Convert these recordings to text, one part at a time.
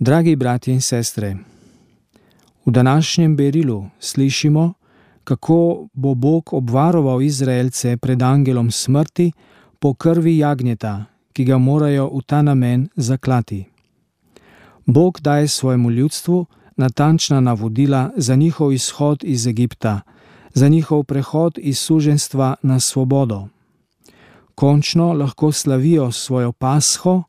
Dragi bratje in sestre, v današnjem berilu slišimo, kako bo Bog obvaroval Izraelce pred angelom smrti po krvi jagnjeta, ki ga morajo v ta namen zaklati. Bog daje svojemu ljudstvu natančna navodila za njihov izhod iz Egipta, za njihov prehod iz suženjstva na svobodo. Končno lahko slavijo svojo pasho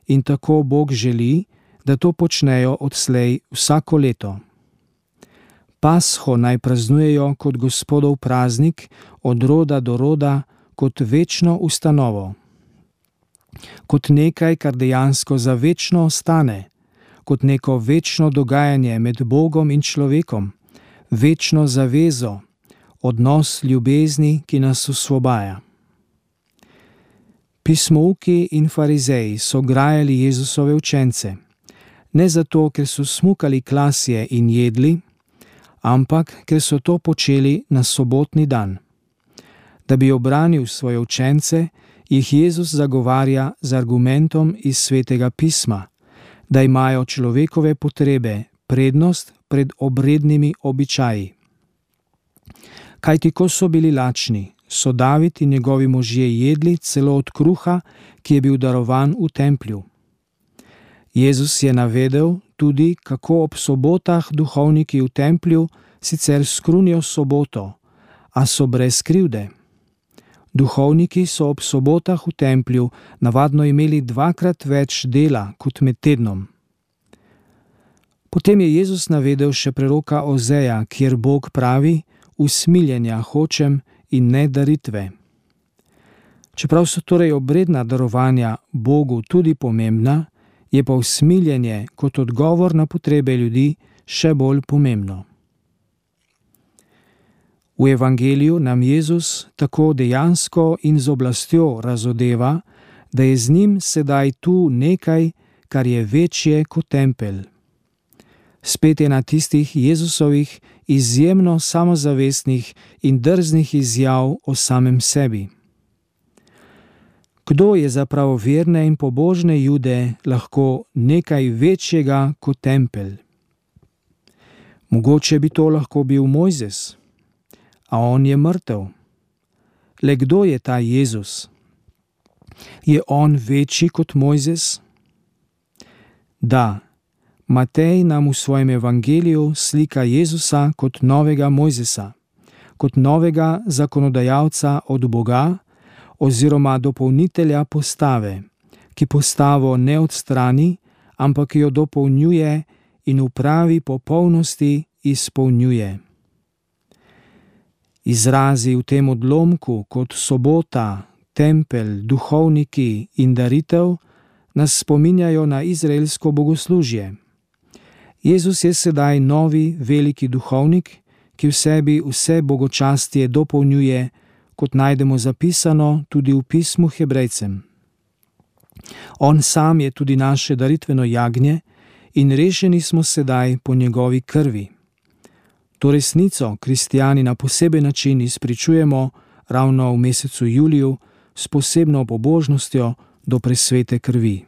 in tako Bog želi, da to počnejo odslej vsako leto. Pasho naj praznujejo kot Gospodov praznik od roda do roda, kot večno ustanovo. Kot nekaj, kar dejansko za večno ostane, kot neko večno dogajanje med Bogom in človekom, večno zavezo, odnos ljubezni, ki nas osvobaja. Pismouki in farizeji so grajali Jezusove učence, ne zato, ker so smukali klasje in jedli, ampak ker so to počeli na sobotni dan. Da bi obranil svoje učence, jih Jezus zagovarja z argumentom iz Svetega pisma, da imajo človekove potrebe prednost pred obrednimi običaji. Kajti ko so bili lačni, so David in njegovi možje jedli celo od kruha, ki je bil darovan v templju. Jezus je navedel tudi, kako ob sobotah duhovniki v templju sicer skrunijo soboto, a so brez krivde. Duhovniki so ob sobotah v templju navadno imeli 2-krat več dela kot med tednom. Potem je Jezus navedel še preroka Ozeja, kjer Bog pravi: usmiljenja hočem in ne daritve. Čeprav so torej obredna darovanja Bogu tudi pomembna, je pa usmiljenje kot odgovor na potrebe ljudi še bolj pomembno. V evangeliju nam Jezus tako dejansko in z oblastjo razodeva, da je z njim sedaj tu nekaj, kar je večje kot tempelj. Spet je na tistih Jezusovih izjemno samozavestnih in drznih izjav o samem sebi. Kdo je za pravoverne in pobožne Jude lahko nekaj večjega kot tempelj? Mogoče bi to lahko bil Mojzes, a on je mrtev. Le kdo je ta Jezus? Je on večji kot Mojzes? Da, Matej nam v svojem evangeliju slika Jezusa kot novega Mojzesa, kot novega zakonodajalca od Boga oziroma dopolnitelja postave, ki postavo ne odstrani, ampak jo dopolnjuje in v pravi popolnosti izpolnjuje. Izrazi v tem odlomku kot sobota, tempelj, duhovniki in daritev nas spominjajo na izraelsko bogoslužje. Jezus je sedaj novi veliki duhovnik, ki v sebi vse bogočastje dopolnjuje, kot najdemo zapisano tudi v pismu Hebrejcem. On sam je tudi naše daritveno jagnje in rešeni smo sedaj po njegovi krvi. To resnico kristijani na poseben način izpričujemo ravno v mesecu juliju s posebno pobožnostjo do presvete krvi.